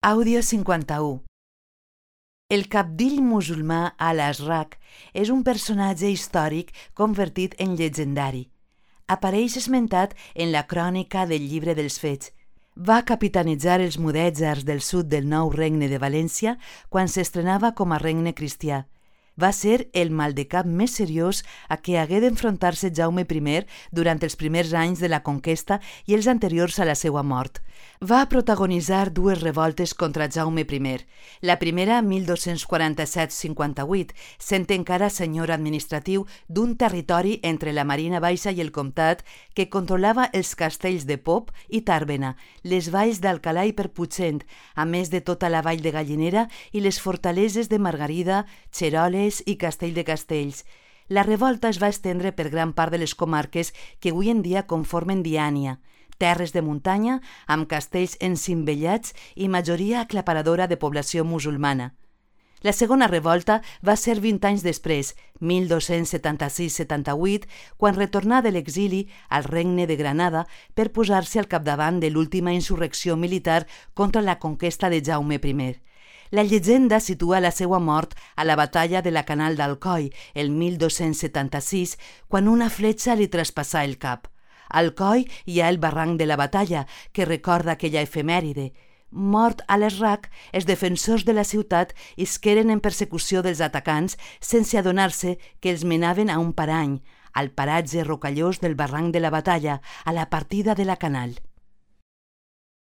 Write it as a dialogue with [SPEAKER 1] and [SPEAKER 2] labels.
[SPEAKER 1] Àudio 51. El cabdill musulmà Al-Azraq és un personatge històric convertit en llegendari. Apareix esmentat en la crònica del Llibre dels Fets. Va capitanitzar els mudèjars del sud del nou regne de València quan s'estrenava com a regne cristià. Va ser el maldecap més seriós a què hagué d'enfrontar-se Jaume I durant els primers anys de la conquesta i els anteriors a la seva mort. Va protagonitzar dues revoltes contra Jaume I. La primera, 1247-58, sent encara senyor administratiu d'un territori entre la Marina Baixa i el Comtat que controlava els castells de Pop i Tàrbena, les valls d'Alcalà i Perputxent, a més de tota la vall de Gallinera i les fortaleses de Margarida, Xeroles i Castell de Castells. La revolta es va estendre per gran part de les comarques que avui en dia conformen Diània, terres de muntanya amb castells encimbellats i majoria aclaparadora de població musulmana. La segona revolta va ser 20 anys després, 1276-78, quan retornà de l'exili al regne de Granada per posar-se al capdavant de l'última insurrecció militar contra la conquesta de Jaume I. La llegenda situa la seva mort a la batalla de la Canal d'Alcoi, el 1276, quan una fletxa li traspassà el cap. A Alcoi hi ha el barranc de la batalla, que recorda aquella efemèride. Mort Al-Azraq, els defensors de la ciutat isqueren en persecució dels atacants sense adonar-se que els menaven a un parany, al paratge rocallós del barranc de la batalla, a la partida de la Canal.